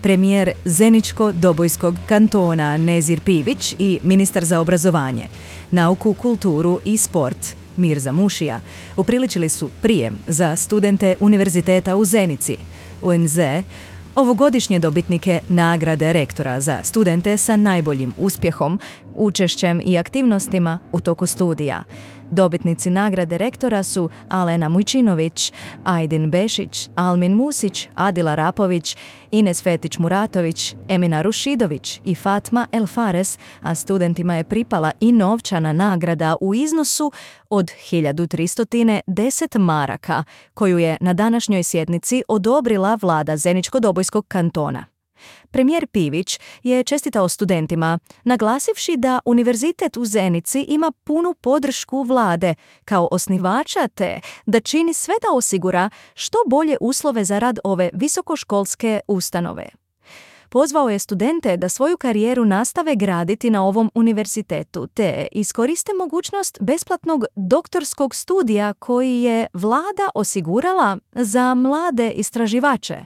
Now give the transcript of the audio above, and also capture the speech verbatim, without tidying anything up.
premijer Zeničko-Dobojskog kantona Nezir Pivić i ministar za obrazovanje, nauku, kulturu i sport Mirza Mušija upriličili su prijem za studente Univerziteta u Zenici, U N Z, ovogodišnje dobitnike nagrade rektora za studente sa najboljim uspjehom, učešćem i aktivnostima u toku studija. Dobitnici nagrade rektora su Alena Mujčinović, Ajdin Bešić, Almin Musić, Adila Rapović, Ines Fetić-Muratović, Emina Rušidović i Fatma El Fares, a studentima je pripala i novčana nagrada u iznosu od hiljadu tristo deset maraka, koju je na današnjoj sjednici odobrila vlada Zeničko-Dobojskog kantona. Premijer Pivić je čestitao studentima, naglasivši da Univerzitet u Zenici ima punu podršku vlade kao osnivača te da čini sve da osigura što bolje uslove za rad ove visokoškolske ustanove. Pozvao je studente da svoju karijeru nastave graditi na ovom univerzitetu te iskoriste mogućnost besplatnog doktorskog studija koji je vlada osigurala za mlade istraživače.